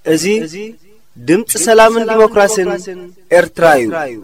እዚ ድምፂ ሰላምን ዲሞክራሲን ኤርትራ እዩ።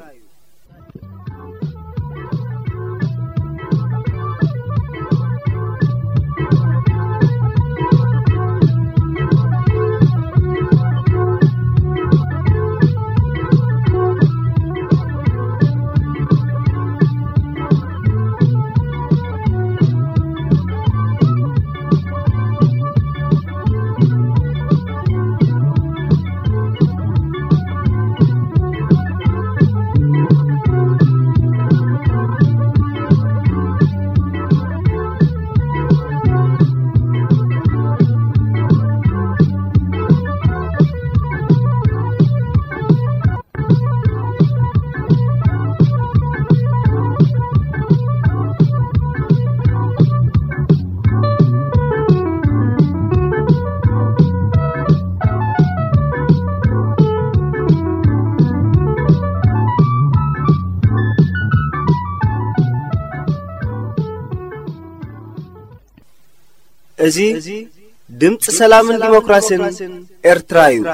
እዚ ድምፂ ሰላምን ዲሞክራሲን ኤርትራ እዩ።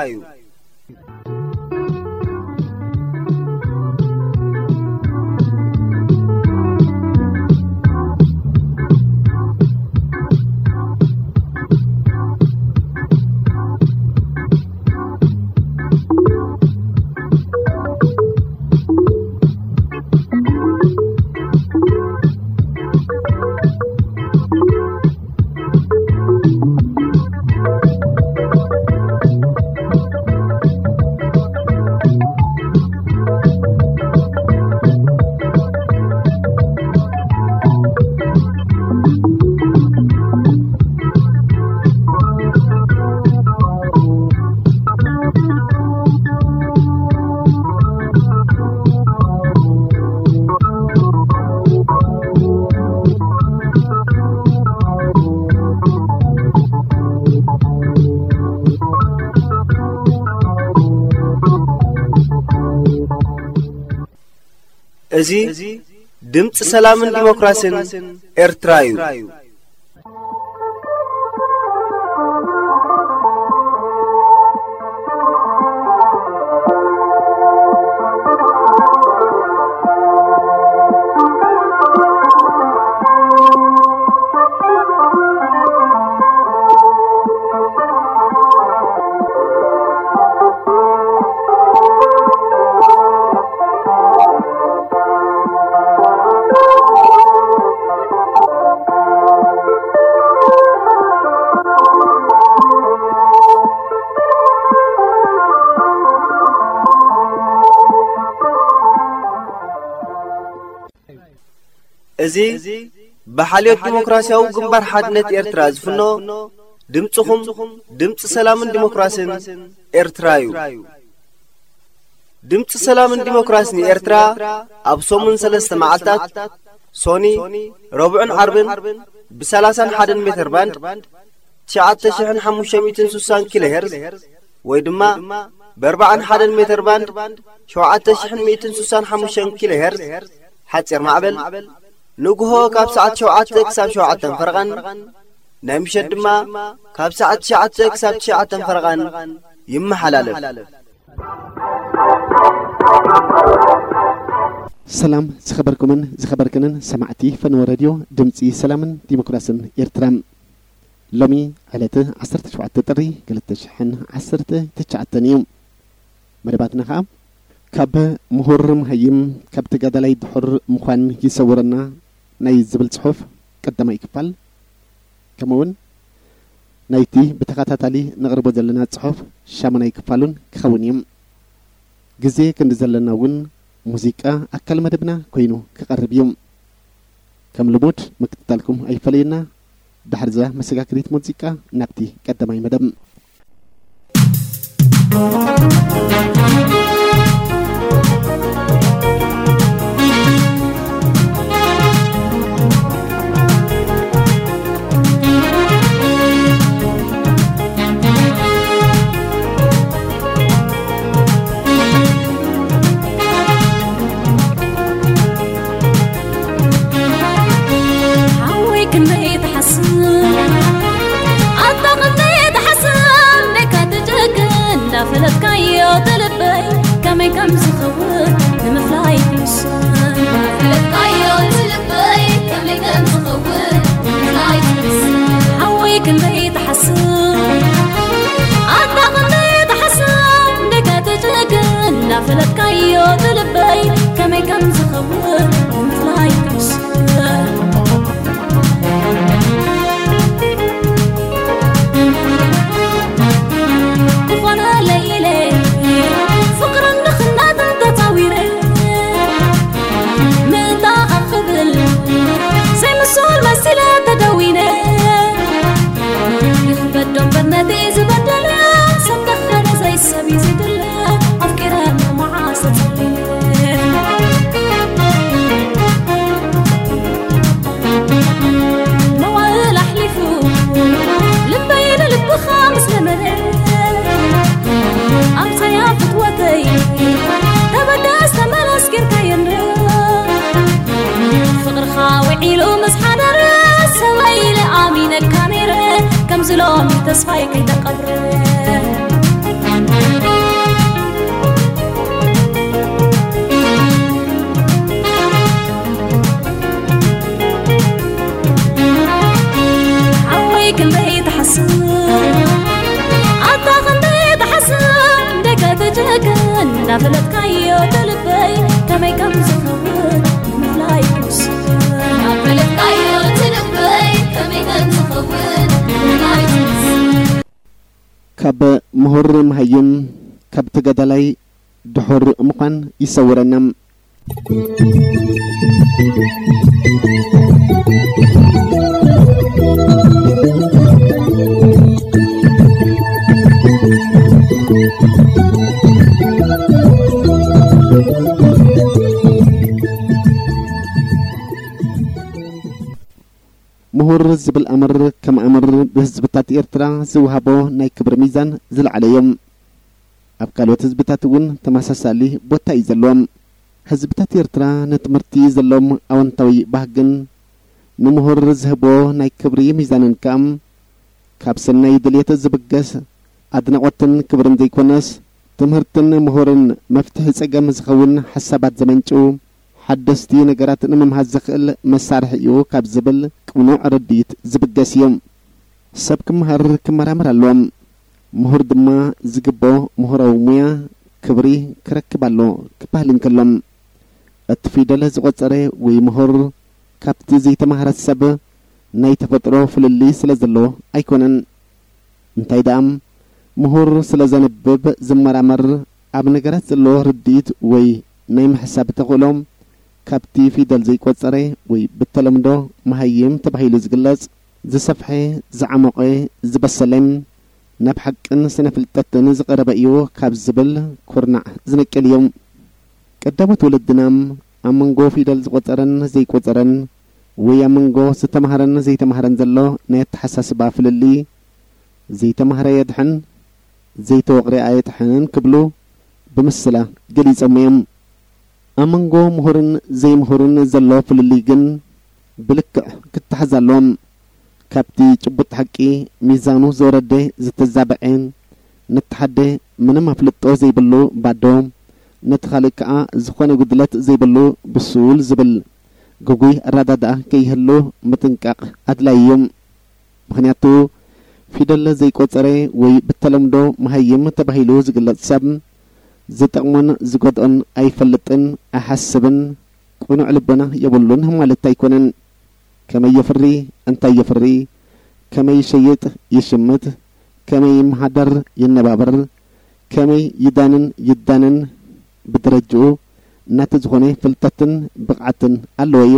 እዚ ድምፂ ሰላምን ዲሞክራሲን ኤርትራ እዩ። እዚ ብሓልዮት ዲሞክራሲያዊ ግንባር ሓድነት ኤርትራ ዝፍኖ ድምፅኹም፣ ድምፂ ሰላምን ዲሞክራሲን ኤርትራ እዩ። ድምፂ ሰላምን ዲሞክራሲን ኤርትራ ኣብ ሰሙን ሰለስተ መዓልታት፣ ሶኒ፣ ረቡዕን ዓርብን፣ ብ30ን ሓደ ሜትር ባንድ፣ ትሽዓተ ሽሕን ሓሙሽተ ሚእትን ስሳን ኪሎ ሄርዝ፣ ወይ ድማ ብ41 ሜትር ባንድ፣ ሸውዓተ ሽሕን ሚእትን ስሳን ሓሙሽተን ኪሎ ሄርዝ፣ ሓፂር ማዕበል፣ ንግሆ ካብ ሰዓት ሸውዓተ ክሳብ ሸውዓተን ፈረቓን፣ ናይ ምሸት ድማ ካብ ሰዓት ትሽዓተ ክሳብ ትሽዓተን ፈረቓን ይመሓላለፍ። ሰላም ዝኸበርኩምን ዝኸበርክንን ሰማዕቲ ፈነወ ሬድዮ ድምፂ ሰላምን ዲሞክራስን ኤርትራ። ሎሚ ዕለት ዓሰርተ ሸውዓተ ጥሪ ክልተ ሽሕን ዓሰርተ ትሽዓተን እዩ። መደባትና ኸኣ ካብ ምሁር መሃይም፣ ካብ ተጋዳላይ ድሑር ምዃን ይሰውረና ናይ ዝብል ጽሑፍ ቀዳማይ ክፋል፣ ከምኡውን ናይቲ ብተኸታታሊ ነቕርቦ ዘለና ጽሑፍ ሻሙናይ ክፋሉን ክኸውን እዩ። ግዜ ክንዲ ዘለና እውን ሙዚቃ ኣካል መደብና ኮይኑ ክቐርብ እዩ። ከም ልሙድ ምክትታልኩም ኣይፈለየና። ድሕርዛ መሰጋገሪት ሙዚቃ ናብቲ ቀዳማይ መደብ። ሓወይ ክንደይ ትሓስብ፣ ኣታ ክንደይ ትሓስብ፣ ደካ ትጨክን እንዳፈለጥካዮ ትልበይ ከመይ ከም ዝኸውን ንምፍላይ ትውስን። እንዳፈለጥካዮ ትልበይ ከመይ ከም ዝኸውን ንምፍላይ ትውስን። ሓወይ ክንደይ ትሓስብ፣ ኣታ ክንደይ ትሓስብ፣ ደካ ትጨክን እንዳፈለጥካዮ ትልበይ ከመይ ከም ዝኸውን ንምፍላይ ትውስን። ዝኾነ ለይለ ፍቕርን ድኽነትን ተጻዊረ፣ ምእንታኻ ክብል ዘይምሱል መሲለ ተደዊነ። ይኽበዶ እምበር ነቲ ዝበደለ፣ ሰብ ከኽበረ ዘይሰብ እዩ ዝድለ። ኣፍቂረ መዓስ ተጸሊለ። መዋእል ኣሕሊፉ ልበይ ንልብኻ ምስ ለመነ፣ ኣምሳያ ፍትወተይ ተበደስ ተመለስ ጌርካዮ እንዶ። ፍቕርኻ ውዒሉ ምስ ሓደረ፣ ሰበይ ኢለ ኣሚነካ ነይረ፣ ከምዚ ሎሚ ተስፋይ ከይተቐብረ። ሓወይ ክንደይ ትሓስብ፣ ኣታ ክንደይ ትሓስብ፣ ደገ ትጭክን እንዳፈለጥካዮ ትልበይ ከመይ ከም ዝኸውን ምፍላይ ትውስን። እንዳፈለጥካዮ ትልበይ ከመይ ከም ዝኸውን ምፍላይ ትውስን። ካብ ምሁር መሃይም፣ ካብ ተጋዳላይ ድሑር ምዃን ይሰውረና። ምሁር ዝብል ኣምር ከም ኣምር ብህዝብታት ኤርትራ ዝወሃቦ ናይ ክብሪ ሚዛን ዝለዓለ እዩ። ኣብ ካልኦት ህዝብታት እውን ተመሳሳሊ ቦታ እዩ ዘለዎም። ህዝብታት ኤርትራ ንትምህርቲ ዘለዎም ኣወንታዊ ባህግን ንምሁር ዝህቦ ናይ ክብሪ ሚዛንን ከኣ ካብ ሰናይ ድልየት ዝብገስ ኣድናቖትን ክብርን ዘይኮነስ፣ ትምህርትን ምሁርን መፍትሒ ጸገም ዝኸውን ሓሳባት ዘመንጩ፣ ሓደስቲ ነገራት ንምምሃዝ ዘኽእል መሳርሒ እዩ ካብ ዝብል ቅኑዕ ርድኢት ዝብገስ እዩ። ሰብ ክመሃር ክመራመር ኣለዎ። ምሁር ድማ ዝግቦ ምሁራዊ ሙያ ክብሪ ክረክብ ኣሎ ክበሃል እንከሎ፣ እቲ ፊደል ዝቖጸረ ወይ ምሁር ካብቲ ዘይተማህረ ሰብ ናይ ተፈጥሮ ፍልልይ ስለ ዘሎ ኣይኮነን። እንታይ ደኣ፣ ምሁር ስለ ዘንብብ፣ ዝመራመር፣ ኣብ ነገራት ዘለዎ ርድኢት ወይ ናይ ምሕሳብ ተኽእሎ ካብቲ ፊደል ዘይቆጸረ ወይ ብተለምዶ መሃይም ተባሂሉ ዝግለጽ፣ ዝሰፍሐ፣ ዝዓሞቐ፣ ዝበሰለ፣ ናብ ሓቅን ስነ ፍልጠትን ዝቐረበ እዩ ካብ ዝብል ኩርናዕ ዝነቅል እዩ። ቀዳሞት ወለድና ኣብ መንጎ ፊደል ዝቆጸረን ዘይቆጸረን ወይ ኣብ መንጎ ዝተማህረን ዘይተማህረን ዘሎ ናይ ኣተሓሳስባ ፍልልይ፣ ዘይተማህረ የድሕን፣ ዘይተወቕረ ኣየጥሕንን ክብሉ ብምስላ ገሊጾም እዮም። ኣብ መንጎ ምሁርን ዘይምሁርን ዘሎ ፍልልይ ግን ብልክዕ ክተሓዝ ኣለዎ። ካብቲ ጭቡጥ ሓቂ ሚዛኑ ዝወረደ ዝተዛብዐ፣ ነቲ ሓደ ምንም ኣፍልጦ ዘይብሉ ባዶ፣ ነቲ ካልእ ከኣ ዝኾነ ጉድለት ዘይብሉ ብሱል ዝብል ግጉይ ኣረዳድኣ ከይህሉ ምጥንቃቕ ኣድላዪ እዩ። ምኽንያቱ ፊደል ዘይቆጸረ ወይ ብተለምዶ መሃይም ተባሂሉ ዝግለጽ ሰብ ዝጠቕሞን ዝጎድኦን ኣይፈልጥን፣ ኣይሓስብን፣ ቅኑዕ ልቦና የብሉን ማለት ኣይኮነን። ከመይ የፍሪ፣ እንታይ የፍሪ፣ ከመይ ይሸይጥ፣ ይሽምት፣ ከመይ ይመሃደር፣ ይነባበር፣ ከመይ ይዳንን፣ ይዳነን፣ ብደረጅኡ እናተ ዝኾነ ፍልጠትን ብቕዓትን ኣለዎ እዩ።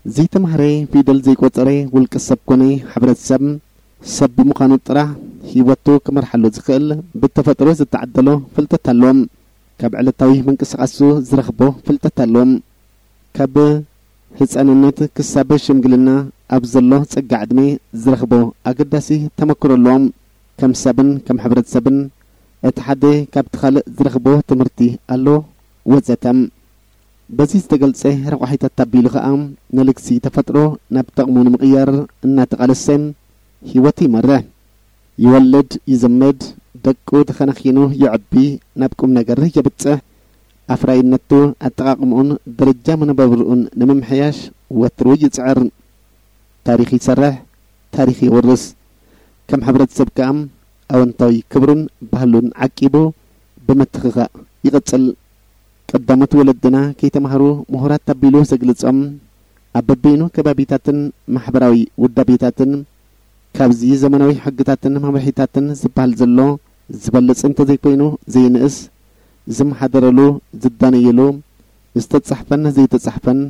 ዘይተማህረ፣ ፊደል ዘይቆጸረ ውልቀ ሰብ ኮነ ሕብረተሰብ ሰብ ብምዃኑ ጥራሕ ህይወቱ ክመርሓሉ ዝኽእል ብተፈጥሮ ዝተዓደሎ ፍልጠት ኣለዎ። ካብ ዕለታዊ ምንቅስቓሱ ዝረኽቦ ፍልጠት ኣለዎ። ካብ ህጻንነት ክሳብ ሽምግልና ኣብ ዘሎ ጸጋ ዕድመ ዝረኽቦ ኣገዳሲ ተመክሮ ኣለዎ። ከም ሰብን ከም ሕብረተሰብን እቲ ሓደ ካብቲ ካልእ ዝረኽቦ ትምህርቲ ኣሎ ወዘተ። በዚ ዝተገልጸ ረቋሒታት ኣቢሉ ኸኣ ንልግሲ ተፈጥሮ ናብ ጠቕሙ ንምቕያር እናተቓለሰ ህይወቱ ይመርሕ። ይወልድ፣ ይዝምድ፣ ደቁ ተኸናኺኑ የዕቢ፣ ናብ ቁም ነገር የብጽሕ። ኣፍራይነቱ፣ ኣጠቓቕምኡን ደረጃ መነባብርኡን ንምምሕያሽ ወትሩ ይጽዕር። ታሪኽ ይሰርሕ፣ ታሪኽ የውርስ። ከም ሕብረተሰብ ከኣ ኣወንታዊ ክብሩን ባህሉን ዓቂቡ ብምትኽኻእ ይቕጽል። ቀዳሞት ወለድና ከይተማህሩ ምሁራት ኣቢሉ ዘግልጾም ኣብ በበይኑ ከባቢታትን ማሕበራዊ ውዳቤታትን ካብዚ ዘመናዊ ሕግታትን መምርሒታትን ዝበሃል ዘሎ ዝበልጽ እንተዘይኮይኑ ዘይንእስ፣ ዝመሓደረሉ፣ ዝዳነየሉ፣ ዝተጻሕፈን ዘይተጻሕፈን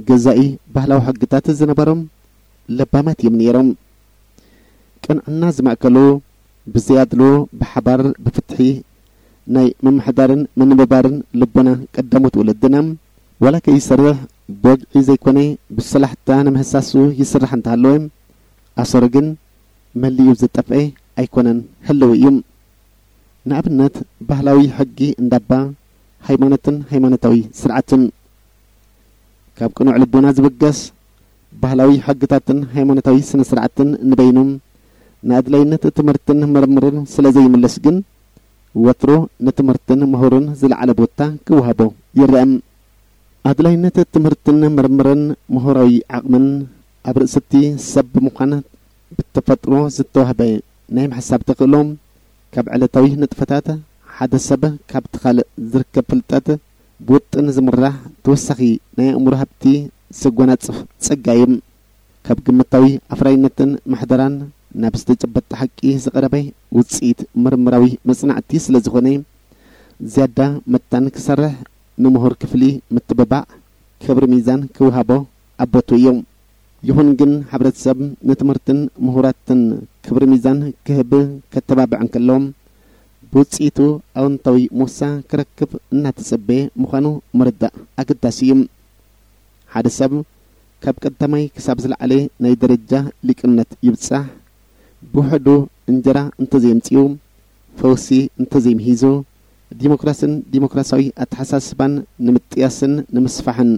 ገዛኢ ባህላዊ ሕግታት ዝነበሮም ለባማት እዮም ነይሮም። ቅንዕና ዝማእከሉ፣ ብዘይ ኣድሎ ብሓባር ብፍትሒ ናይ ምምሕዳርን ምንብባርን ልቦና ቀዳሞት ወለድና፣ ዋላ ከይሰርሕ ብወግዒ ዘይኮነ ብሰላሕታ ንምህሳሱ ይስራሕ እንተሃለወ፣ ኣሰሩ ግን መሊኡ ዝጠፍኤ ኣይኮነን፣ ህልው እዩ። ንኣብነት፣ ባህላዊ ሕጊ እንዳባ፣ ሃይማኖትን ሃይማኖታዊ ስርዓትን። ካብ ቅኑዕ ልቦና ዝብገስ ባህላዊ ሕግታትን ሃይማኖታዊ ስነ ስርዓትን ንበይኑ ንኣድላይነት ትምህርትን ምርምርን ስለ ዘይምልስ ግን፣ ወትሩ ንትምህርትን ምሁርን ዝለዓለ ቦታ ክወሃቦ ይረአ። ኣድላይነት ትምህርትን ምርምርን ምሁራዊ ዓቕምን ኣብ ርእሲ እቲ ሰብ ብምዃን ብተፈጥሮ ዝተዋህበ ናይ ምሕሳብ ተኽእሎ፣ ካብ ዕለታዊ ንጥፈታት ሓደ ሰብ ካብቲ ካልእ ዝርከብ ፍልጠት ብውጥን ዝምራሕ ተወሳኺ ናይ ኣእምሮ ሃብቲ ዘጎናጽፍ ጸጋ እዩ። ካብ ግምታዊ ኣፍራይነትን ምሕደራን ናብ ዝተጨበጠ ሓቂ ዝቐረበ ውጽኢት ምርምራዊ መጽናዕቲ ስለ ዝኾነ፣ ዝያዳ መታን ክሰርሕ ንምሁር ክፍሊ ምትብባዕ ክብሪ ሚዛን ክወሃቦ ኣቦቱ እዩ። ይኹን ግን ሕብረተሰብ ንትምህርትን ምሁራትን ክብሪ ሚዛን ክህብ ከተባብዕ እንከሎ፣ ብውጽኢቱ ኣወንታዊ ሞሳ ክረክብ እናተጸበየ ምዃኑ ምርዳእ ኣገዳሲ እዩ። ሓደ ሰብ ካብ ቀዳማይ ክሳብ ዝለዓለ ናይ ደረጃ ሊቅነት ይብጻሕ፣ ብውሕዱ እንጀራ እንተዘየምጺኡ፣ ፈውሲ እንተዘይምሂዙ፣ ዲሞክራስን ዲሞክራሲያዊ ኣተሓሳስባን ንምጥያስን ንምስፋሕን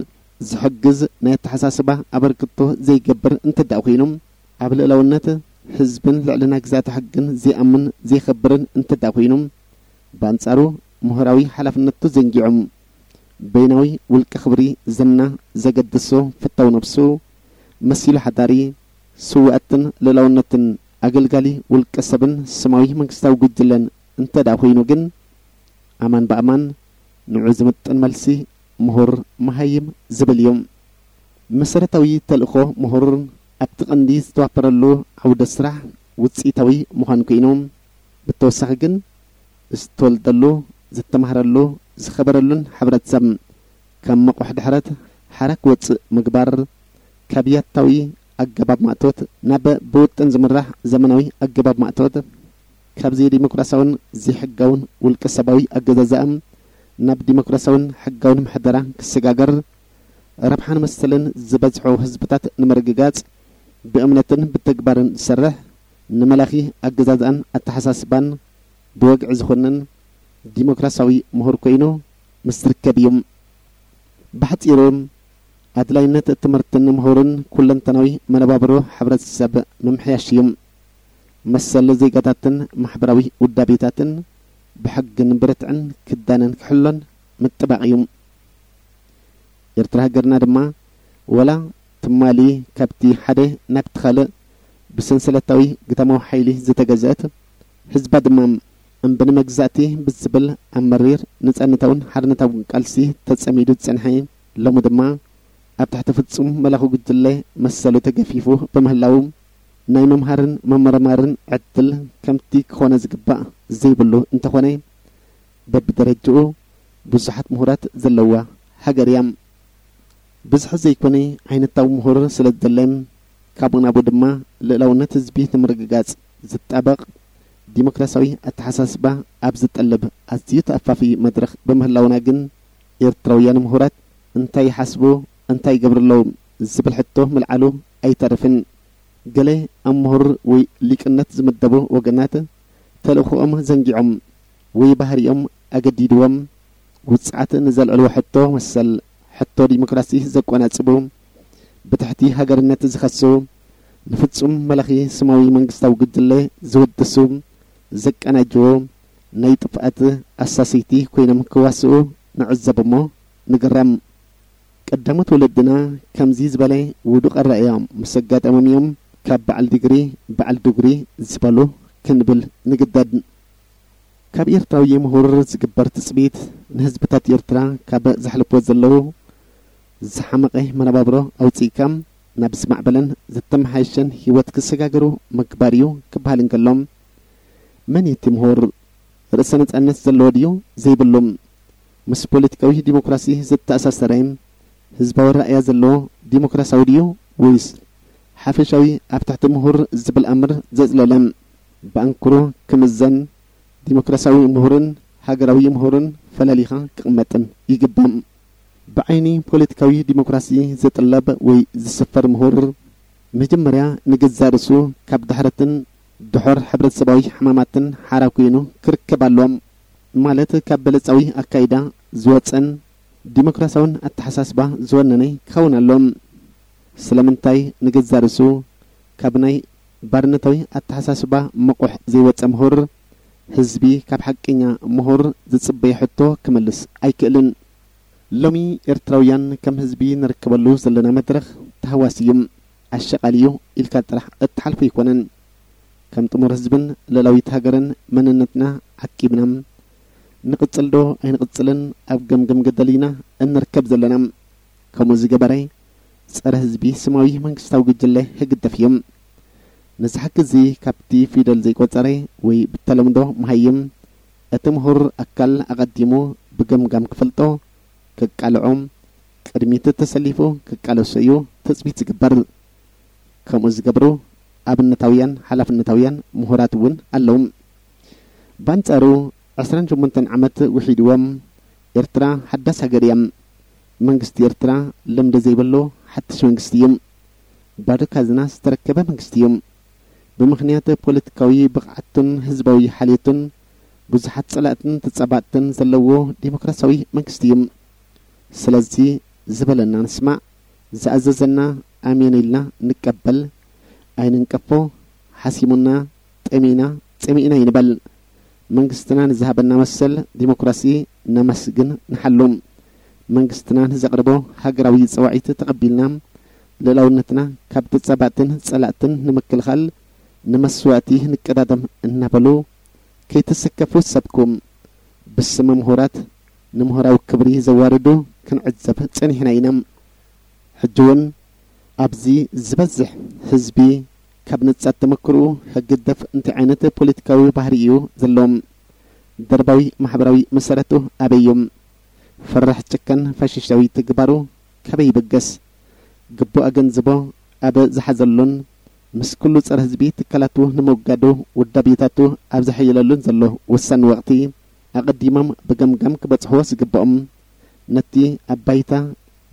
ዝሕግዝ ናይ ኣተሓሳስባ ኣበርክቶ ዘይገብር እንተ ደኣ ኮይኑ፣ ኣብ ልእላውነት ህዝብን ልዕልና ግዝኣተ ሕግን ዘይኣምን ዘይኸብርን እንተ ደኣ ኮይኑ፣ ብኣንጻሩ ምሁራዊ ሓላፍነቱ ዘንጊዑ፣ በይናዊ ውልቀ ክብሪ ዝና ዘገድሶ ፍታው ነብሱ መሲሉ ሓዳሪ፣ ስውኣትን ልእላውነትን ኣገልጋሊ ውልቀ ሰብን ስማዊ መንግስታዊ ጉጅለን እንተ ደኣ ኮይኑ ግን፣ ኣማን ብኣማን ንዑ ዝምጥን መልሲ ምሁር መሃይም ዝብል እዩ። መሰረታዊ ተልእኾ ምሁር ኣብቲ ቀንዲ ዝተዋፈረሉ ዓውደ ስራሕ ውጽኢታዊ ምዃን ኮይኑ፣ ብተወሳኺ ግን ዝተወልደሉ፣ ዝተማህረሉ፣ ዝኸበረሉን ሕብረተሰብ ከም መቑሕ ድሕረት ሓራ ክወጽእ ምግባር፣ ካብ ያታዊ ኣገባብ ማእቶት ናብ ብውጥን ዝምራሕ ዘመናዊ ኣገባብ ማእቶት፣ ካብ ዘይዲሞክራሲያውን ዘይሕጋውን ውልቀ ሰባዊ ኣገዛዝኣ ናብ ዲሞክራሲያውን ሕጋውን ምሕደራ ክሰጋገር፣ ረብሓን መሰልን ዝበዝሖ ህዝብታት ንምርግጋጽ ብእምነትን ብተግባርን ዝሰርሕ፣ ንመላኺ ኣገዛዝኣን ኣተሓሳስባን ብወግዒ ዝኾንን ዲሞክራሲያዊ ምሁር ኮይኑ ምስ ዝርከብ እዩ። ብሓጺሩ፣ ኣድላይነት ትምህርትን ምሁርን ኩለንተናዊ መነባብሮ ሕብረተሰብ ምምሕያሽ እዩ። መሰል ዜጋታትን ማሕበራዊ ውዳቤታትን ብሕግን ብርትዕን ክዳነን ክሕሎን ምጥባቕ እዩ። ኤርትራ ሃገርና ድማ፣ ወላ ትማሊ ካብቲ ሓደ ናብቲ ካልእ ብሰንሰለታዊ ግዳማዊ ሓይሊ ዝተገዝአት፣ ህዝባ ድማ እምቢ ንመግዛእቲ ብዝብል ኣብ መሪር ነጻነታውን ሓርነታውን ቃልሲ ተጸሚዱ ዝጸንሐ፣ ሎሚ ድማ ኣብ ትሕቲ ፍጹም መላኺ ጉጅለ መሰሉ ተገፊፉ ብምህላው፣ ናይ ምምሃርን ምምርማርን ዕድል ከምቲ ክኾነ ዝግባእ ዘይብሉ እንተኾነ፣ በብደረጅኡ ብዙሓት ምሁራት ዘለዋ ሃገር እያ። ብዝሒ ዘይኮነ ዓይነታዊ ምሁር ስለ ዝደለ፣ ካብኡ ናብኡ ድማ ልእላውነት ህዝቢ ንምርግጋጽ ዝጣበቕ ዲሞክራሲያዊ ኣተሓሳስባ ኣብ ዝጠልብ ኣዝዩ ተኣፋፊ መድረኽ ብምህላውና ግን፣ ኤርትራውያን ምሁራት እንታይ ይሓስቡ፣ እንታይ ይገብሩ ኣለዉ ዝብል ሕቶ ምልዓሉ ኣይተርፍን። ገለ ኣብ ምሁር ወይ ሊቅነት ዝምደቡ ወገናት፣ ተልእኾኦም ዘንጊዖም ወይ ባህሪኦም ኣገዲድዎም፣ ውጽዓት ንዘልዕልዎ ሕቶ መሰል ሕቶ ዲሞክራሲ ዘቆናጽቡ፣ ብትሕቲ ሃገርነት ዝኸሱ፣ ንፍጹም መላኺ ስማዊ መንግስታዊ ጉጅለ ዝውድሱ፣ ዘቀናጅዎ ናይ ጥፍኣት ኣሳሰይቲ ኮይኖም ክዋስኡ ንዕዘብ እሞ ንግረም። ቀዳሞት ወለድና ከምዚ ዝበለ ውዱቕ ኣረኣእያ ምስ ኣጋጠሞም እዮም ካብ በዓል ዲግሪ በዓል ዱግሪ ዝበሉ ክንብል ንግደድ። ካብ ኤርትራዊ ምሁር ዝግበር ትጽቢት፣ ንህዝብታት ኤርትራ ካብ ዘሕልፍዎ ዘለዉ ዝሓመቐ መነባብሮ ኣውጺእካ ናብ ዝማዕበለን ዝተመሓየሸን ህይወት ክሰጋገሩ ምግባር እዩ ክበሃል እንከሎ፣ መን እዩ እቲ ምሁር? ርእሰ ነጻነት ዘለዎ ድዩ ዘይብሉ? ምስ ፖለቲካዊ ዲሞክራሲ ዝተኣሳሰረ ህዝባዊ ራእያ ዘለዎ ዲሞክራሲያዊ ድዩ፣ ወይስ ሓፈሻዊ ኣብ ትሕቲ ምሁር ዝብል ኣምር ዘጽለለ? ብኣንክሮ ክምዘን፣ ዲሞክራሲያዊ ምሁርን ሃገራዊ ምሁርን ፈላሊኻ ክቕመጥን ይግባእ። ብዓይኒ ፖለቲካዊ ዲሞክራሲ ዝጥለብ ወይ ዝስፈር ምሁር፣ መጀመርያ ንገዛእ ርእሱ ካብ ድሕረትን ድሑር ሕብረተሰባዊ ሕማማትን ሓራ ኮይኑ ክርከብ ኣለዎ። ማለት፣ ካብ በለጻዊ ኣካይዳ ዝወጸን ዲሞክራሲያውን ኣተሓሳስባ ዝወነነ ክኸውን ኣለዎ። ስለምንታይ ንገዛእ ርእሱ ካብ ናይ ባርነታዊ ኣተሓሳስባ መቑሕ ዘይወጸ ምሁር፣ ህዝቢ ካብ ሓቀኛ ምሁር ዝጽበዮ ሕቶ ክመልስ ኣይክእልን። ሎሚ ኤርትራውያን ከም ህዝቢ ንርከበሉ ዘለና መድረኽ ተሃዋሲ እዩ፣ ኣሸቓሊ እዩ ኢልካ ጥራሕ እትሓልፎ ኣይኮነን። ከም ጥሙር ህዝብን ልእላዊት ሃገርን መንነትና ዓቂብና፣ ንቕጽል ዶ ኣይንቕጽልን ኣብ ገምገም ገደል ኢና እንርከብ ዘለና። ከምኡ ዝገበረ ጸረ ህዝቢ ስማዊ መንግስታዊ ጉጅለ ህግደፍ እዩ። ነዚ ሓቂ እዚ ካብቲ ፊደል ዘይቆጸረ ወይ ብተለምዶ መሃይም፣ እቲ ምሁር ኣካል ኣቐዲሙ ብገምጋም ክፈልጦ፣ ከቃልዖ፣ ቅድሚት ተሰሊፉ ክቃለሶ እዩ ትጽቢት ዝግበር። ከምኡ ዝገብሩ ኣብነታውያን ሓላፍነታውያን ምሁራት እውን ኣለዉ። በኣንጻሩ፣ ዕስራን ሸሞንተን ዓመት ውሒድዎም፣ ኤርትራ ሓዳስ ሃገር እያ። መንግስቲ ኤርትራ ልምዲ ዘይብሉ ሓድሽ መንግስቲ እዩ። ባዶ ካዝና ዝተረከበ መንግስቲ እዩ። ብምኽንያት ፖለቲካዊ ብቕዓቱን ህዝባዊ ሓልዮቱን ብዙሓት ጸላእትን ተጻባእትን ዘለዎ ዲሞክራሲያዊ መንግስቲ እዩ። ስለዚ ዝበለና ንስማዕ፣ ዝኣዘዘና ኣሜን ኢልና ንቀበል፣ ኣይንንቀፎ፣ ሓሲሙና፣ ጠሚና፣ ጸሚእና ይንበል። መንግስትና ንዝሃበና መሰል ዲሞክራሲ ነመስግን ንሓሉ። መንግስትና ንዘቕርቦ ሃገራዊ ጸዋዒት ተቐቢልና፣ ልእላውነትና ካብ ተጻባእትን ጸላእትን ንምክልኻል ንመስዋእቲ ንቀዳደም እናበሉ፣ ከይትስከፉ ሰብኩ። ብስም ምሁራት ንምሁራዊ ክብሪ ዘዋርዱ ክንዕዘብ ጸኒሕና ኢና። ሕጂ እውን ኣብዚ ዝበዝሕ ህዝቢ ካብ ንጻት ተመክሮኡ ህግደፍ እንታይ ዓይነት ፖለቲካዊ ባህሪ እዩ ዘለዎም? ደርባዊ ማሕበራዊ መሰረቱ ኣበይ እዩ? ፈራሕ ጨካን ፋሽስታዊ ተግባሩ ካበይ ይበገስ? ግቡእ ኣገንዝቦ ኣብ ዝሓዘሉን ምስ ኩሉ ጸረ ህዝቢ ትካላቱ ንምውጋዱ ውዳቤታቱ ኣብ ዘሐየለሉን ዘሎ ወሳኒ ወቕቲ፣ ኣቐዲሞም ብገምጋም ክበጽሕዎ ዝግብኦም፣ ነቲ ኣብ ባይታ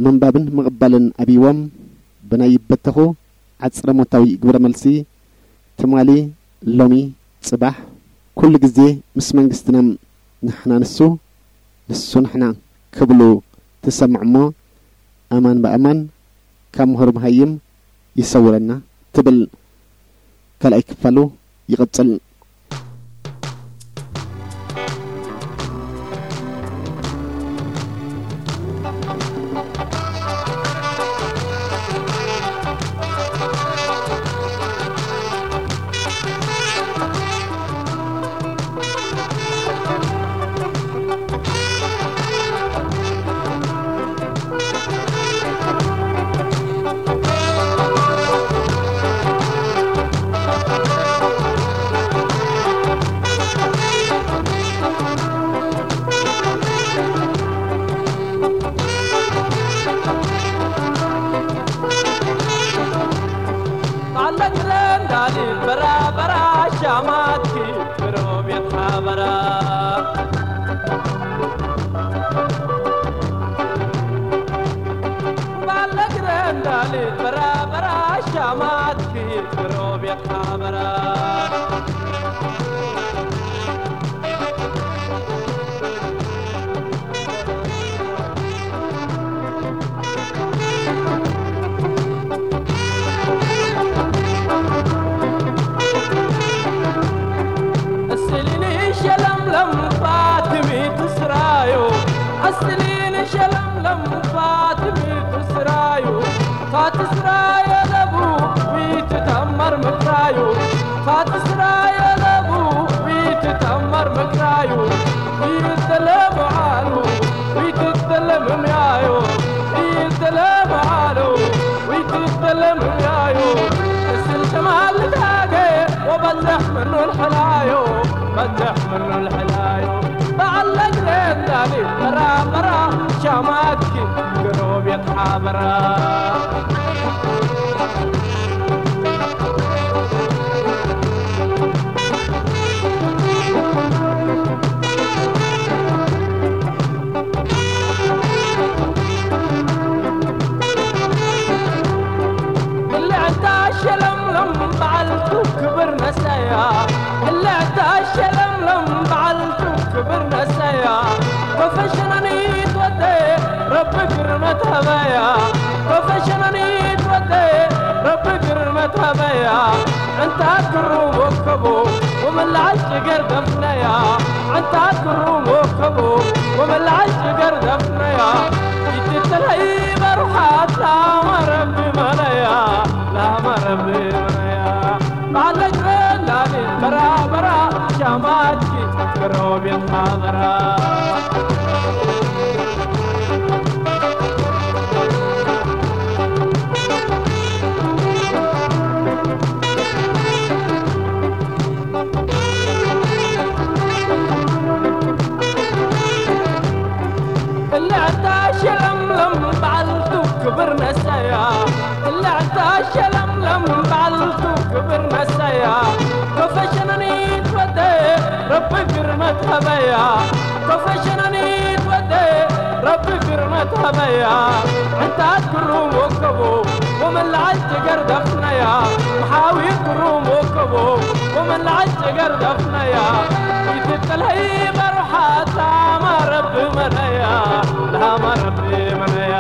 ምንባብን ምቕባልን ኣብይዎም ብናይ በተኹ ዓጽረ ሞታዊ ግብረ መልሲ፣ ትማሊ፣ ሎሚ፣ ጽባሕ፣ ኩሉ ግዜ ምስ መንግስትና፣ ንሕና ንሱ፣ ንሱ ንሕና ክብሉ ትሰምዕ እሞ፣ ኣማን ብኣማን ካብ ምሁር መሃይም ይሰውረና ትብል። ካልኣይ ክፋሉ ይቕጽል። ሻማትኪ ብሮቤት ሓበራ ባለ ግረንዳሊ በራበራ ሻማትኪ ብሮቤት ሓበራ እስሊኒ ሸለምለም ፋትሚ ትስራዩ እስሊኒ ሸለምለም ፋትሚ ትስራዩ ፋትስራየ ለቡ ዊትተመር ምክራዩ ፋትስራየ ለቡ ዊትተመር ምክራዩ ይተለምዓሉ ይትተለምምያዩ ይተለምዓሉ ይትተለምምያዩ እስል ሸማልታገ ወበትሕ ምኑ ልሕላዩ በትሕ ምኑ ልሕላዩ በዓል ነግረ እንዳሊ በራ በራ ሻማትኪ ግሮብ የትሓበራ ብልዕታ ሸለምለም በዓልቱ ክብር ነሰያ ብልዕታ ሸለምለም በዓልቱ ክብር ነሰያ ኮፈሸናኒት ወደ ረቢ ግርመት ሀበያ ኮፈሸናኒት ወደ ረቢ ግርመት ሀበያ ዕንታት ክሩም ወከቦ ወመላዓል ጭገር ደፍነያ ዕንታት ክሩም ወከቦ ወመላዓል ጭገር ደፍነያ ይትተለይ በሩሓት ላማ ረቢ መነያ ላማ ረቢ መነያ ባለግረ ላሊ በራ በራ ሻማትኪ ክሮብ የማበራ እላዕታ ሸለምለም በዓልቱ ክብር ነሳያ እላዕታ ሸለምለም በዓልቱ ክብር ነሳያ ኮፈሸነኒት ወደ ረቢ ግርመት ሀበያ ኮፈሸነኒት ወደ ረቢ ግርመት ሀበያ ዕንታት ግሩም ወከቦ ወመላዓል ጭገር ደፍነያ መሓዊ ግሩም ወከቦ ወመላዓል ጭገር ደፍነያ ይትጥለይ በርሓት ላማ ረቢ መነያ ላማ ረቢ መነያ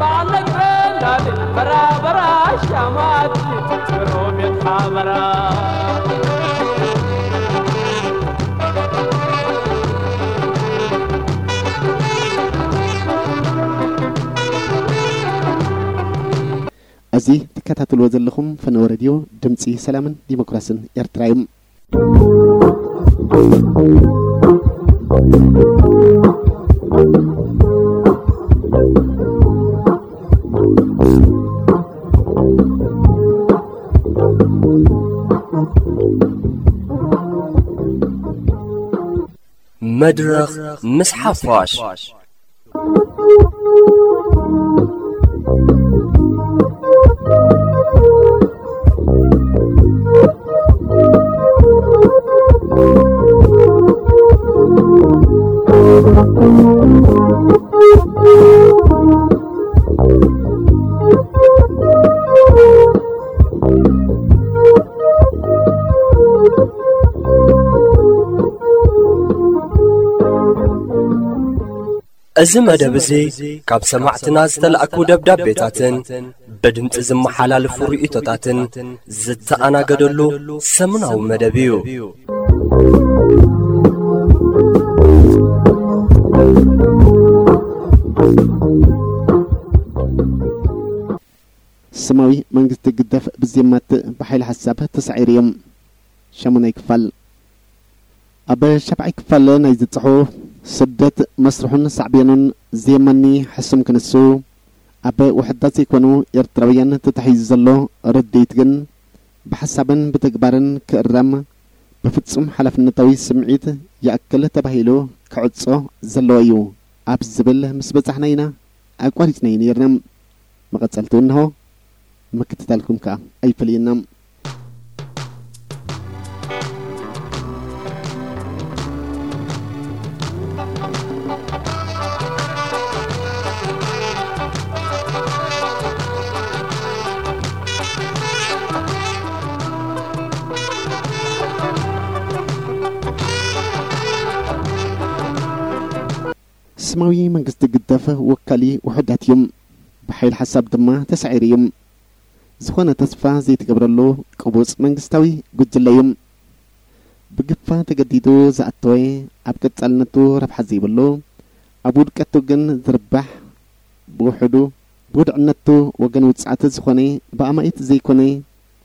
ባለግረ እንዳሊ በራ በራ ሻማት ግሩም የትሓበራ እዚ ትከታተልዎ ዘለኹም ፈነወ ሬድዮ ድምፂ ሰላምን ዲሞክራስን ኤርትራ እዩ። መድረኽ ምስ ሓፋሽ። እዚ መደብ እዚ ካብ ሰማዕትና ዝተላእኩ ደብዳቤታትን ብድምጺ ዝመሓላለፉ ርእይቶታትን ዝተኣናገደሉ ሰሙናዊ መደብ እዩ። ስማዊ መንግስቲ ግደፍ ብዜማት ብሓይሊ ሓሳብ ተሳዒሩ እዮም። ሻሙናይ ክፋል። ኣብ ሻብዓይ ክፋል ናይዚ ጽሑፍ፣ ስደት መስርሑን ሳዕቤኑን ዜማኒ ሕሱም ክንሱ፣ ኣብ ውሑዳት ዘይኮኑ ኤርትራውያን ተታሒዙ ዘሎ ርድኢት ግን ብሓሳብን ብተግባርን ክእረም ብፍጹም ሓላፍነታዊ ስምዒት ይኣክል ተባሂሉ ክዕጾ ዘለዎ እዩ ኣብ ዝብል ምስ በጻሕና ኢና ኣቋሪጽናዮ ነይርና። መቐጸልቱ እንሆ፣ ምክትታልኩም ከኣ ኣይፈለየና። ስማዊ መንግስቲ ግደፍ ወካሊ ውሑዳት እዩ። ብሓይል ሓሳብ ድማ ተሳዒሩ እዩ። ዝኾነ ተስፋ ዘይትገብረሉ ቅቡጽ መንግስታዊ ጉጅለ እዩ። ብግፋ ተገዲዱ ዝኣተወ፣ ኣብ ቀጻልነቱ ረብሓ ዘይብሉ፣ ኣብ ውድቀቱ ግን ዝርባሕ፣ ብውሕዱ ብውድዕነቱ ወገን ውጽዓት ዝኾነ፣ ብኣማኢት ዘይኮነ፣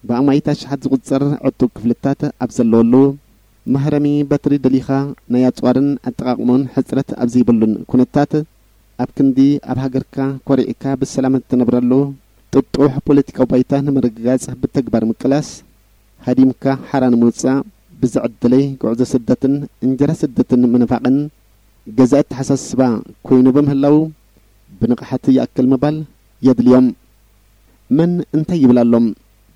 ብኣማኢት ኣሽሓት ዝቑጸር ዕጡብ ክፍልታት ኣብ ዘለወሉ፣ መህረሚ በትሪ ደሊኻ ናይ ኣጽዋርን ኣጠቓቕሞን ሕጽረት ኣብ ዘይብሉን ኩነታት፣ ኣብ ክንዲ ኣብ ሃገርካ ኮሪዕካ ብሰላም እትነብረሉ ጥጡሕ ፖለቲካዊ ባይታ ንምርግጋጽ ብተግባር ምቅላስ፣ ሃዲምካ ሓራ ንምውጻእ ብዝዕድለይ ጉዕዞ ስደትን እንጀራ ስደትን ምንፋቕን ገዛ ኣተሓሳስባ ኮይኑ ብምህላው፣ ብንቕሓት ይኣክል ምባል የድልዮም። መን እንታይ ይብል ኣሎ?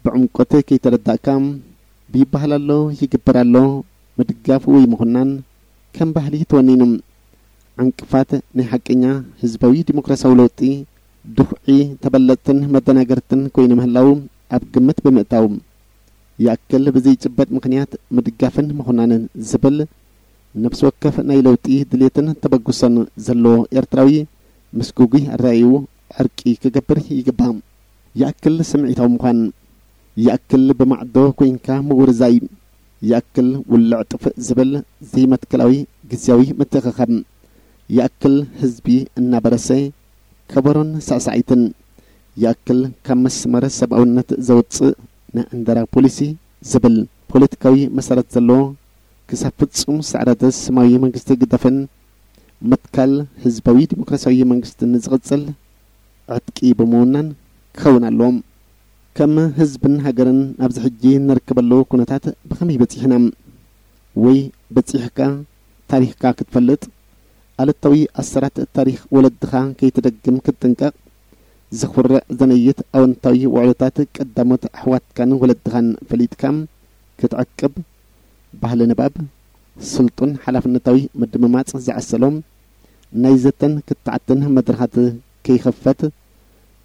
ብዕምቆት ከይተረዳእካ፣ ብይበሃል ኣሎ፣ ይግበር ኣሎ፣ ምድጋፍ ወይ ምኹናን ከም ባህሊ ተወኒኑ። ዕንቅፋት ናይ ሓቀኛ ህዝባዊ ዲሞክራሲያዊ ለውጢ ድኹዒ፣ ተበለጽትን መደናገርትን ኮይኑ ምህላው ኣብ ግምት ብምእታው፣ ይኣክል ብዘይጭበጥ ምኽንያት ምድጋፍን ምኹናንን ዝብል፣ ነፍሲ ወከፍ ናይ ለውጢ ድሌትን ተበግሶን ዘለዎ ኤርትራዊ ምስ ግጉይ ኣረኣእይኡ ዕርቂ ክገብር ይግባእ። ይኣክል ስምዒታዊ ምዃን፣ ይኣክል ብማዕዶ ኮይንካ ምውርዛይ፣ ይኣክል ውልዕ ጥፍእ ዝብል ዘይመትከላዊ ግዝያዊ ምትእኽኻብ፣ ይኣክል ህዝቢ እናበረሰ ከበሮን ሳዕሳዒትን፣ ይኣክል ካብ መስመር ሰብኣውነት ዘውጽእ ናይ ዕንደራ ፖሊሲ ዝብል ፖለቲካዊ መሰረት ዘለዎ፣ ክሳብ ፍጹም ስዕረት ስማዊ መንግስቲ ግደፍን ምትካል ህዝባዊ ዲሞክራሲያዊ መንግስትን ዝቕጽል ዕጥቂ ብምውናን ክኸውን ኣለዎም። ከም ህዝብን ሃገርን ኣብዚ ሕጂ ንርከበሉ ኩነታት ብኸመይ በጺሕና? ወይ በጺሕካ ታሪኽካ ክትፈልጥ፣ ኣሉታዊ ኣሰራት ታሪኽ ወለድኻ ከይትደግም ክትጥንቀቕ፣ ዘኹርዕ ዘነይት ኣወንታዊ ውዕሎታት ቀዳሞት ኣሕዋትካን ወለድኻን ፈሊጥካ ክትዕቅብ፣ ባህሊ ንባብ፣ ስልጡን ሓላፍነታዊ ምድምማጽ ዝዓሰሎም ናይ ዘተን ክትዓትን መድረኻት ከይኸፈት፣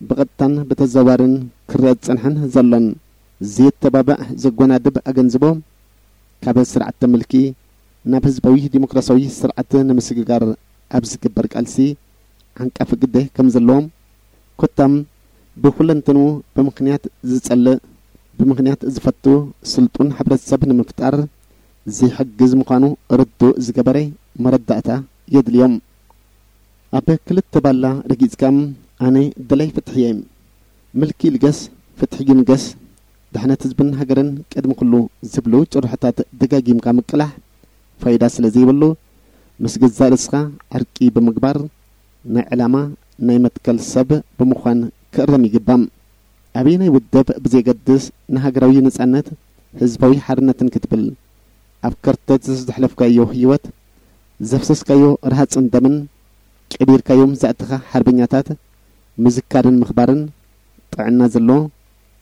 ብቐጥታን ብተዘዋዋርን ክረአ ዝጸንሐን ዘሎን ዘየተባብዕ ዘጎናድብ ኣገንዝቦ፣ ካብ ስርዓተ ምልኪ ናብ ህዝባዊ ዲሞክራሲያዊ ስርዓት ንምስግጋር ኣብ ዝግበር ቃልሲ ዓንቃፊ ግደ ከም ዘለዎ፣ ኮታም ብኹለንትንኡ ብምኽንያት ዝጸልእ፣ ብምኽንያት ዝፈቱ ስልጡን ሕብረተሰብ ንምፍጣር ዘይሕግዝ ምዃኑ ርዱእ ዝገበረ መረዳእታ የድልዮም። ኣብ ክልተ ባላ ረጊጽካ፣ ኣነ ደላይ ፍትሒ እየ፣ ምልኪ ይልገስ፣ ፍትሒ ይንገስ፣ ድሕነት ህዝብን ሃገርን ቅድሚ ኩሉ ዝብሉ ጭርሖታት ደጋጊምካ ምቅላሕ ፋይዳ ስለ ዘይብሉ፣ ምስ ገዛእ ርእስኻ ዕርቂ ብምግባር፣ ናይ ዕላማ፣ ናይ መትከል ሰብ ብምዃን ክእረም ይግባእ። ኣበየናይ ውድብ ብዘየገድስ፣ ንሃገራዊ ነጻነት፣ ህዝባዊ ሓርነትን ክትብል ኣብ ከርተት ዘሕለፍካዮ ህይወት፣ ዘፍሰስካዮ ረሃጽን ደምን፣ ቀቢርካዮም ዘእተኻ ሓርበኛታት ምዝካርን ምኽባርን ጥዕና ዘሎ፣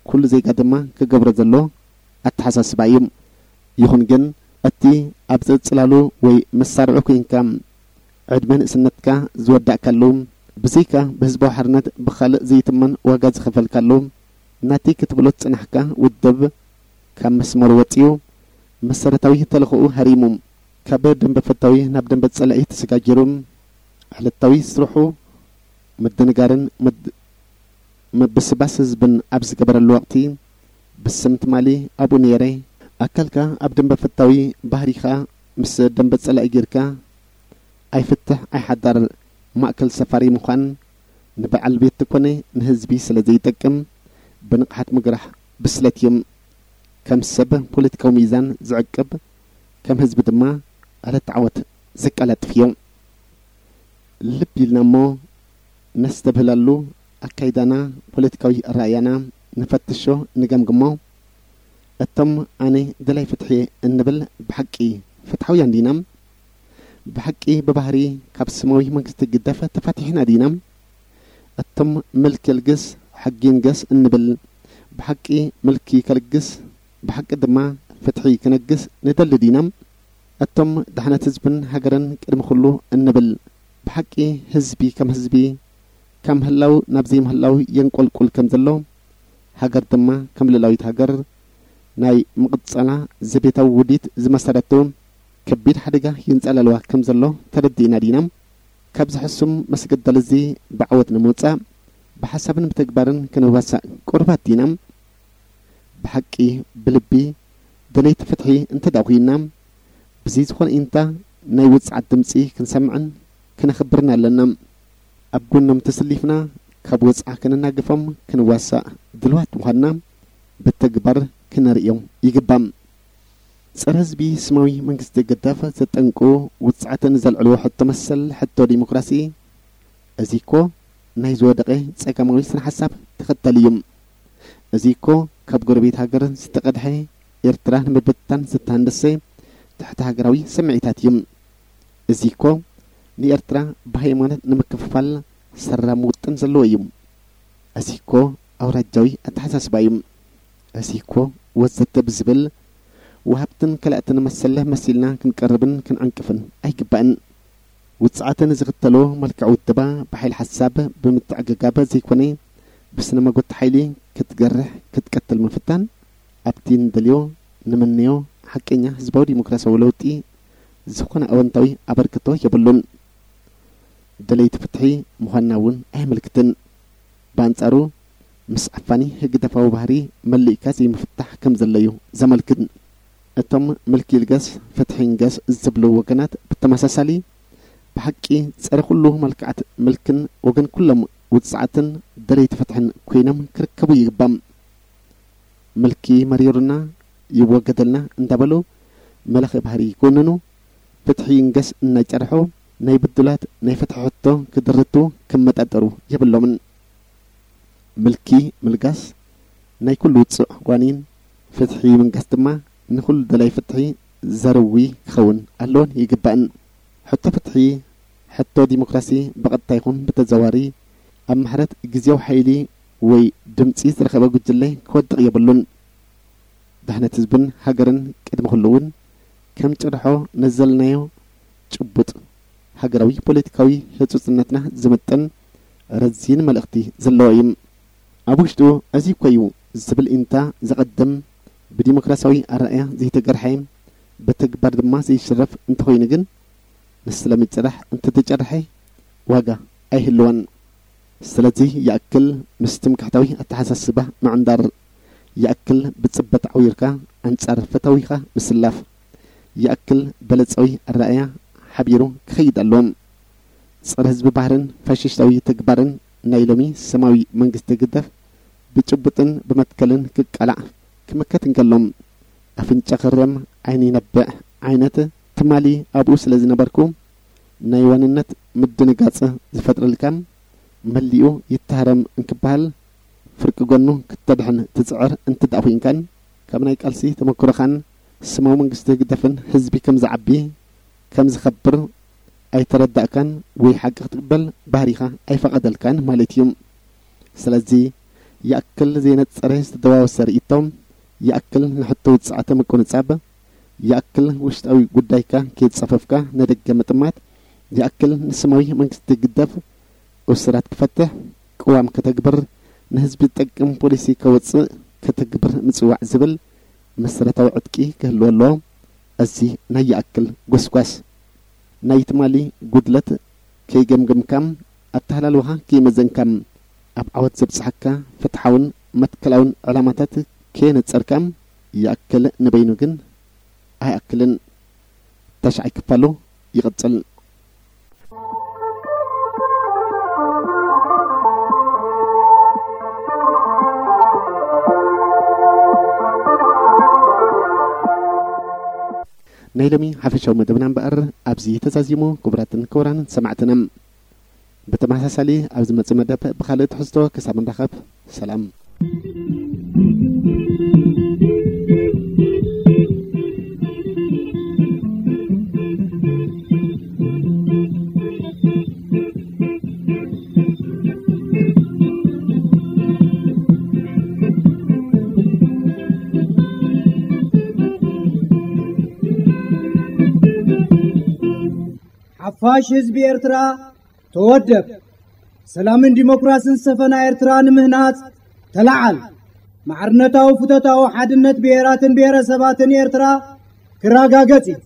ኩሉ ዜጋ ድማ ክገብሮ ዘሎ ኣተሓሳስባ እዩ። ይኹን ግን፣ እቲ ኣብ ጽላሉ ወይ መሳርዑ ኮይንካ ዕድመ ንእስነትካ ዝወዳእካሉ፣ ብዘይካ ብህዝባዊ ሓርነት ብኻልእ ዘይትመን ዋጋ ዝኸፈልካሉ፣ ናተይ ክትብሎ ዝጸናሕካ ውድብ ካብ መስመሩ ወጺኡ፣ መሰረታዊ ተልእኾኡ ሃሪሙ፣ ካብ ደንበ ፈታዊ ናብ ደንበ ጸላኢ ተሰጋጊሩ፣ ዕለታዊ ስርሑ ምድንጋርን ምድ-፣ ምብስባስ ህዝብን ኣብ ዝገበረሉ ወቕቲ፣ ብስም ትማሊ ኣብኡ ነይረ፣ ኣካልካ ኣብ ደንበ ፈታዊ፣ ባህሪኻ ምስ ደንበ ጸላኢ ጌርካ፣ ኣይፍትሕ ኣይሓዳር ማእከል ሰፋሪ ምዃን ንበዓል ቤት ኮነ ንህዝቢ ስለ ዘይጠቅም፣ ብንቕሓት ምግራሕ ብስለት እዩ። ከም ሰብ ፖለቲካዊ ሚዛን ዝዕቅብ፣ ከም ህዝቢ ድማ ዕለት ዓወት ዘቀላጥፍ እዩ። ልብ ኢልና እሞ ነስተብህለሉ ኣካይዳና፣ ፖለቲካዊ ኣረኣእያና ንፈትሾ፣ ንገምግሞ። እቶም ኣነ ደላይ ፍትሒ እንብል ብሓቂ ፍትሓውያን ዲና? ብሓቂ ብባህሪ ካብ ስማዊ መንግስቲ ግደፍ ተፋቲሕና ዲና? እቶም ምልኪ ልግስ ሕጊ ንገስ እንብል ብሓቂ ምልኪ ከልግስ፣ ብሓቂ ድማ ፍትሒ ክነግስ ንደሊ ዲና? እቶም ድሕነት ህዝብን ሃገርን ቅድሚ ኩሉ እንብል ብሓቂ ህዝቢ ከም ህዝቢ ካብ ምህላው ናብ ዘይምህላው የንቆልቁል ከም ዘሎ፣ ሃገር ድማ ከም ልእላዊት ሃገር ናይ ምቕጻላ ዘቤታዊ ውዲት ዝመሰረቱ ከቢድ ሓደጋ የንጸላልዋ ከም ዘሎ ተረዲእና ዲና? ካብዚ ሕሱም መስገደል እዚ ብዓወት ንምውጻእ ብሓሳብን ብተግባርን ክንዋሳእ ቅሩባት ዲና? ብሓቂ ብልቢ ደለይቲ ፍትሒ እንተ ደኣ ኮይንና፣ ብዘይ ዝኾነ ኢንታ ናይ ውጽዓት ድምጺ ክንሰምዕን ክነኽብርን ኣለና። ኣብ ጎኖም ተሰሊፍና ካብ ወጽዓ ከነናግፎም ክንዋሳእ ድልዋት ምዃንና ብተግባር ክነርእዮም ይግባእ። ጸረ ህዝቢ ስማዊ መንግስቲ ግደፍ ዘጠንቁ ውጽዓትን ዘልዕልዎ ሕቶ መሰል ሕቶ ዲሞክራሲ፣ እዚ እኮ ናይ ዝወደቐ ጸጋማዊ ስነ ሓሳብ ተኸተል እዩ። እዚ እኮ ካብ ጎረቤት ሃገር ዝተቐድሐ ኤርትራ ንምብትታን ዝተሃንደሰ ትሕቲ ሃገራዊ ስምዒታት እዩ። እዚ እኮ ንኤርትራ ብሃይማኖት ንምክፍፋል ሰራም ውጥን ዘለዎ እዩ። እዚ እኮ ኣውራጃዊ ኣተሓሳስባ እዩ። እዚ እኮ ወዘተ ብዝብል ወሃብትን ከላእትን መሰለ መሲልና ክንቀርብን ክንዕንቅፍን ኣይግባእን። ውጽዓት ንዝኽተሎ መልክዕ ውደባ ብሓይሊ ሓሳብ ብምትዕግጋብ ዘይኮነ ብስነ መጎት ሓይሊ ክትገርሕ ክትቀትል ምፍታን ኣብቲ ንደልዮ ንምነዮ ሓቀኛ ህዝባዊ ዲሞክራሲያዊ ለውጢ ዝኾነ ኣወንታዊ ኣበርክቶ የብሉን። ደለይቲ ፍትሒ ምዃንና እውን ኣየመልክትን። ብኣንጻሩ ምስ ዓፋኒ ህግደፋዊ ባህሪ መሊእካ ዘይምፍታሕ ከም ዘለዩ ዘመልክት። እቶም ምልኪ ይልገስ ፍትሒ ይንገስ ዝብሉ ወገናት ብተመሳሳሊ ብሓቂ ጸረ ኩሉ መልክዓት ምልክን ወገን ኩሎም ውጽዓትን ደለይቲ ፍትሕን ኮይኖም ክርከቡ ይግባእ። ምልኪ መሪሩና ይወገደልና እንዳበሉ መለኺ ባህሪ ይኮንኑ፣ ፍትሒ ይንገስ እናጨርሑ ናይ ብዱላት ናይ ፍትሒ ሕቶ ክድርቱ ክመጣጠሩ የብሎምን። ምልኪ ምልጋስ ናይ ኩሉ ውጹዕ ዋኒን፣ ፍትሒ ምንጋስ ድማ ንኹሉ ደላይ ፍትሒ ዘርዊ ክኸውን ኣለዎን ይግባእን። ሕቶ ፍትሒ፣ ሕቶ ዲሞክራሲ ብቐጥታ ይኹን ብተዘዋሪ ኣብ ማሕረት ግዜያዊ ሓይሊ ወይ ድምጺ ዝረኸበ ጉጅለ ክወድቕ የብሉን። ድሕነት ህዝብን ሃገርን ቅድሚ ኩሉ እውን ከም ጭርሖ ነዘልናዮ ጭቡጥ ሃገራዊ ፖለቲካዊ ህጹጽነትና ዝምጥን ረዚን መልእኽቲ ዘለዎ እዩ። ኣብ ውሽጡ እዚ እኮ እዩ ዝብል ኢንታ ዘቐድም ብዲሞክራሲያዊ ኣረኣእያ ዘይተገርሐ ብተግባር ድማ ዘይሽረፍ እንተኾይኑ ግን ንስለ ምጭራሕ እንተተጨርሐ ዋጋ ኣይህልወን። ስለዚ ይኣክል ምስ ትምክሕታዊ ኣተሓሳስባ ምዕንዳር፣ ይኣክል ብጽበት ዓዊርካ ኣንጻር ፈታዊኻ ምስላፍ፣ ይኣክል በለጻዊ ኣረኣእያ ሓቢሩ ክኸይድ ኣለዎ። ጸረ ህዝቢ ባህርን ፋሽስታዊ ተግባርን ናይ ሎሚ ስማዊ መንግስቲ ግደፍ ብጭቡጥን ብመትከልን ክቃላዕ ክምከት እንከሎ፣ ኣፍንጫ ክረም ዓይኒ ይነብዕ ዓይነት ትማሊ ኣብኡ ስለ ዝነበርኩ፣ ናይ ዋንነት ምድንጋጽ ዝፈጥረልካን መሊኡ ይተሃረም እንክበሃል፣ ፍርቂ ጎኑ ክተድሕን ትጽዕር እንትደኣ ኮይንካን፣ ካብ ናይ ቃልሲ ተመክሮኻን ስማዊ መንግስቲ ህግደፍን ህዝቢ ከም ዝዓቢ፣ ከም ዝኸብር ኣይተረዳእካን ወይ ሓቂ ክትቅበል ባህሪኻ ኣይፈቐደልካን ማለት እዩ። ስለዚ ይኣክል ዘይነጸረ ዝተደዋወሰ ርእይቶ፣ ይኣክል ንሕቶ ውጽዓተ ምቁንጻብ፣ ይኣክል ውሽጣዊ ጉዳይካ ከይጸፈፍካ ንደገ ምጥማት፣ ይኣክል ንስማዊ መንግስቲ ግደፍ፣ እሱራት ክፈትሕ፣ ቅዋም ከተግብር፣ ንህዝቢ ዝጠቅም ፖሊሲ ከወጽእ፣ ከተግብር ምጽዋዕ ዝብል መሰረታዊ ዕጥቂ ክህልዎ ኣለዎ። እዚ ናይ ይኣክል ጎስጓስ ናይ ትማሊ ጉድለት ከይገምገምካ፣ ኣተሃላልዋኻ ከይመዘንካ፣ ኣብ ዓወት ዘብጽሓካ ፍትሓውን መትከላውን ዕላማታት ከየነጸርካ፣ ይኣክል ንበይኑ ግን ኣይኣክልን። ተሽዓይ ክፋሉ ይቕጽል። ናይ ሎሚ ሓፈሻዊ መደብና እምበኣር ኣብዚ ተዛዚሙ። ክቡራትን ክቡራንን ሰማዕትና፣ ብተመሳሳሊ ኣብ ዝመጽእ መደብ ብኻልእ ትሕዝቶ ክሳብ ንራኸብ፣ ሰላም። ሓፋሽ ህዝቢ ኤርትራ፣ ተወደብ! ሰላምን ዲሞክራስን ዝሰፈና ኤርትራ ንምህናጽ ተለዓል! ማዕርነታዊ ፍቶታዊ ሓድነት ብሄራትን ብሄረሰባትን ኤርትራ ክረጋገጽ እዩ።